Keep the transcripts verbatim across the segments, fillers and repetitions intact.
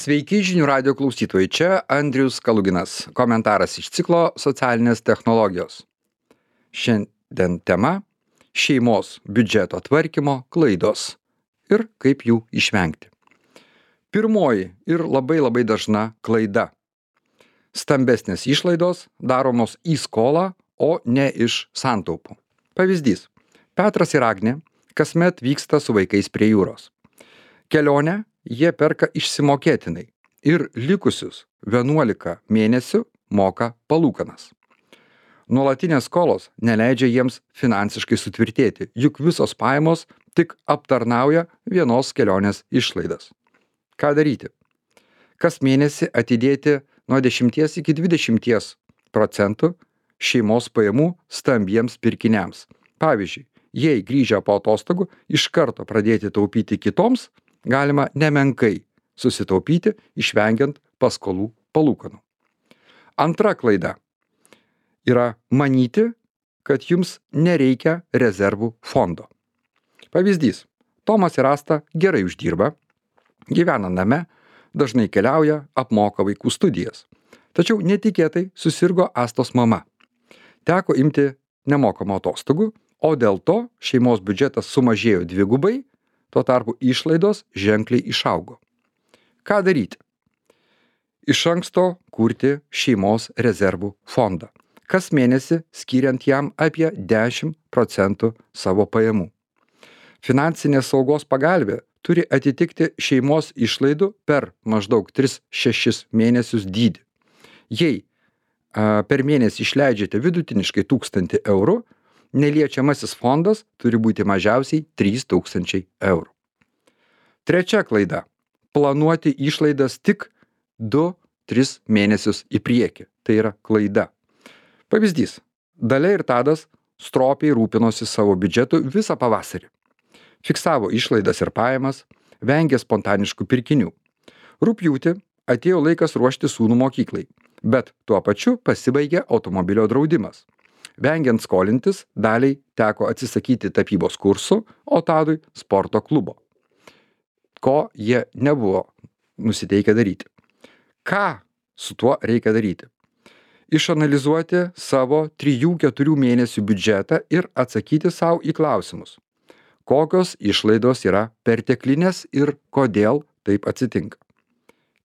Sveiki žinių radio klausytojai, čia Andrius Kaluginas. Komentaras iš ciklo socialinės technologijos. Šiandien tema - šeimos biudžeto tvarkymo klaidos ir kaip jų išvengti. Pirmoji ir labai labai dažna klaida. Stambesnės išlaidos daromos į skolą, o ne iš santaupų. Pavyzdys. Petras ir Agnė kasmet vyksta su vaikais prie jūros. Kelionę jie perka išsimokėtinai ir likusius vienuolika mėnesių moka palūkanas. Nuolatinės skolos neleidžia jiems finansiškai sutvirtėti, juk visos pajamos tik aptarnauja vienos kelionės išlaidas. Ką daryti? Kas mėnesį atidėti nuo dešimties iki dvidešimties procentų šeimos pajamų stambiems pirkiniams. Pavyzdžiui, jei grįžę po atostogų iš karto pradėti taupyti kitoms, galima nemenkai susitaupyti, išvengiant paskolų palūkanų. Antra klaida yra manyti, kad jums nereikia rezervų fondo. Pavyzdys. Tomas ir Asta gerai uždirba, gyvena name, dažnai keliauja, apmoka vaikų studijas. Tačiau netikėtai susirgo Astos mama. Teko imti nemokamų atostogų, o dėl to šeimos biudžetas sumažėjo dvigubai, tuo tarpu išlaidos ženkliai išaugo. Ką daryti? Iš anksto kurti šeimos rezervų fondą, kas mėnesį skiriant jam apie dešimt procentų savo pajamų. Finansinės saugos pagalvė turi atitikti šeimos išlaidų per maždaug tris šešis mėnesius dydį. Jei a, per mėnesį išleidžiate vidutiniškai tūkstantį eurų, neliečiamasis fondas turi būti mažiausiai trys tūkstančiai eurų. Trečia klaida - planuoti išlaidas tik du tris mėnesius į priekį. Tai yra klaida. Pavyzdys. Dalia ir Tadas stropiai rūpinosi savo biudžetu visą pavasarį. Fiksavo išlaidas ir pajamas, vengė spontaniškų pirkinių. Rugpjūtį atėjo laikas ruošti sūnų mokyklai, bet tuo pačiu pasibaigė automobilio draudimas. Vengiant skolintis, Daliai teko atsisakyti tapybos kursų, o Tadui sporto klubo. Ko jie nebuvo nusiteikę daryti. Ką su tuo reikia daryti? Išanalizuoti savo trijų keturių mėnesių biudžetą ir atsakyti savo į klausimus. Kokios išlaidos yra perteklinės ir kodėl taip atsitinka.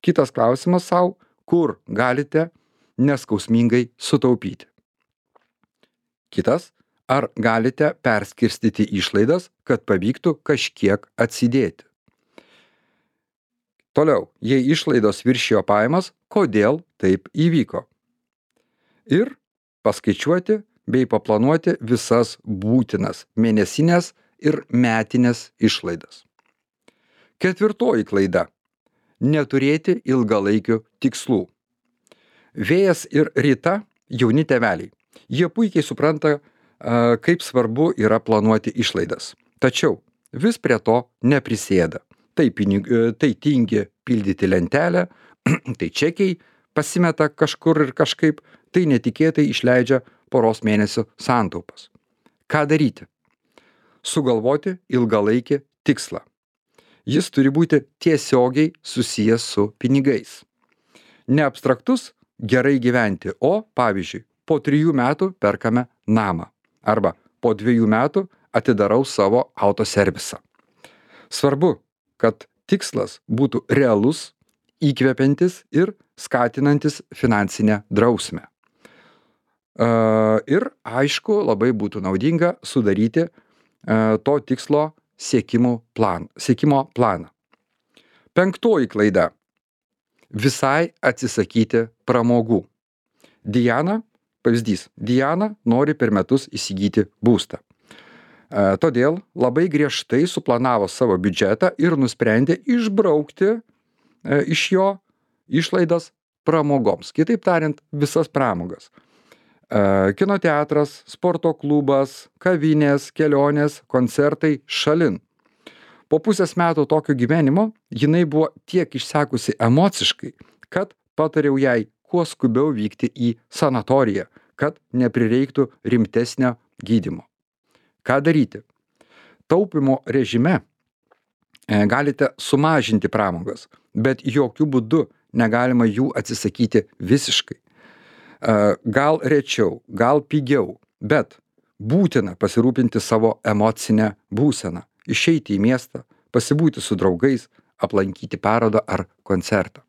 Kitas klausimas savo, kur galite neskausmingai sutaupyti. Kitas, ar galite perskirstyti išlaidas, kad pavyktų kažkiek atsidėti. Toliau, jei išlaidos viršijo pajamas, kodėl taip įvyko. Ir paskaičiuoti bei paplanuoti visas būtinas mėnesinės ir metinės išlaidas. Ketvirtoji klaida - neturėti ilgalaikių tikslų. Vėjas ir Rita jauni tėveliai. Jie puikiai supranta, kaip svarbu yra planuoti išlaidas. Tačiau vis prie to neprisėda. Tai, pinig, tai tingi pildyti lentelę, tai čekiai pasimeta kažkur ir kažkaip, tai netikėtai išleidžia poros mėnesių santaupas. Ką daryti? Sugalvoti ilgalaikį tikslą. Jis turi būti tiesiogiai susijęs su pinigais. Ne abstraktus gerai gyventi, o pavyzdžiui, po trijų metų perkame namą arba po dviejų metų atidarau savo autoservisą. Svarbu, kad tikslas būtų realus, įkvepiantis ir skatinantis finansinę drausmę. Ir aišku, labai būtų naudinga sudaryti to tikslo siekimo plan, siekimo planą. Penktoji klaida - visai atsisakyti pramogų. Diana, pavyzdys, Diana nori per metus įsigyti būstą. Todėl labai griežtai suplanavo savo biudžetą ir nusprendė išbraukti iš jo išlaidas pramogoms. Kitaip tariant, visas pramogas. Kino teatras, sporto klubas, kavinės, kelionės, koncertai šalin. Po pusės metų tokio gyvenimo jinai buvo tiek išsekusi emociškai, kad patariau jai kuo skubiau vykti į sanatoriją, kad neprireiktų rimtesnio gydymo. Ką daryti? Taupimo režime E, Galite sumažinti pramogas, bet jokių būdų negalima jų atsisakyti visiškai. E, Gal rečiau, gal pigiau, bet būtina pasirūpinti savo emocinę būseną, išeiti į miestą, pasibūti su draugais, aplankyti parodą ar koncertą.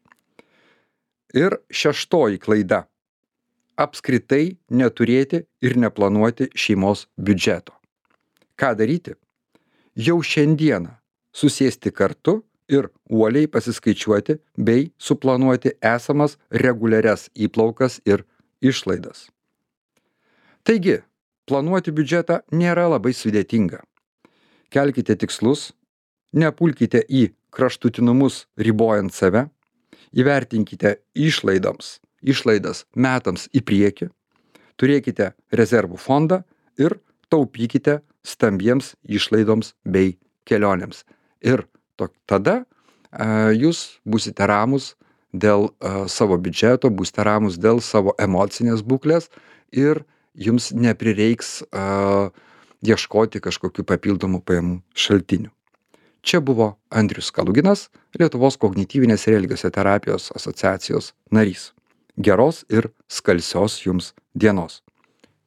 Ir šeštoji klaida - apskritai neturėti ir neplanuoti šeimos biudžeto. Ką daryti? Jau šiandieną susėsti kartu ir uoliai pasiskaičiuoti bei suplanuoti esamas reguliarias įplaukas ir išlaidas. Taigi, planuoti biudžetą nėra labai sudėtinga. Kelkite tikslus, nepulkite į kraštutinumus ribojant save, įvertinkite išlaidams, išlaidas metams į priekį, turėkite rezervų fondą ir taupykite stambiems išlaidoms bei kelionėms. Ir to, tada a, jūs būsite ramus dėl a, savo biudžeto, būsite ramus dėl savo emocinės būklės ir jums neprireiks a, ieškoti kažkokių papildomų pajamų šaltinių. Čia buvo Andrius Kaluginas, Lietuvos kognityvinės ir elgesio terapijos asociacijos narys. Geros ir skalsios jums dienos.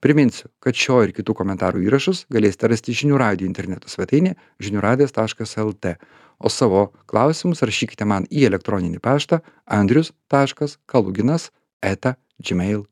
Priminsiu, kad šio ir kitų komentarų įrašus galėsite rasti žinių radijo interneto svetainėje žinių radijas taškas lt, o savo klausimus rašykite man į elektroninį paštą andrius taškas kaluginas eta gmail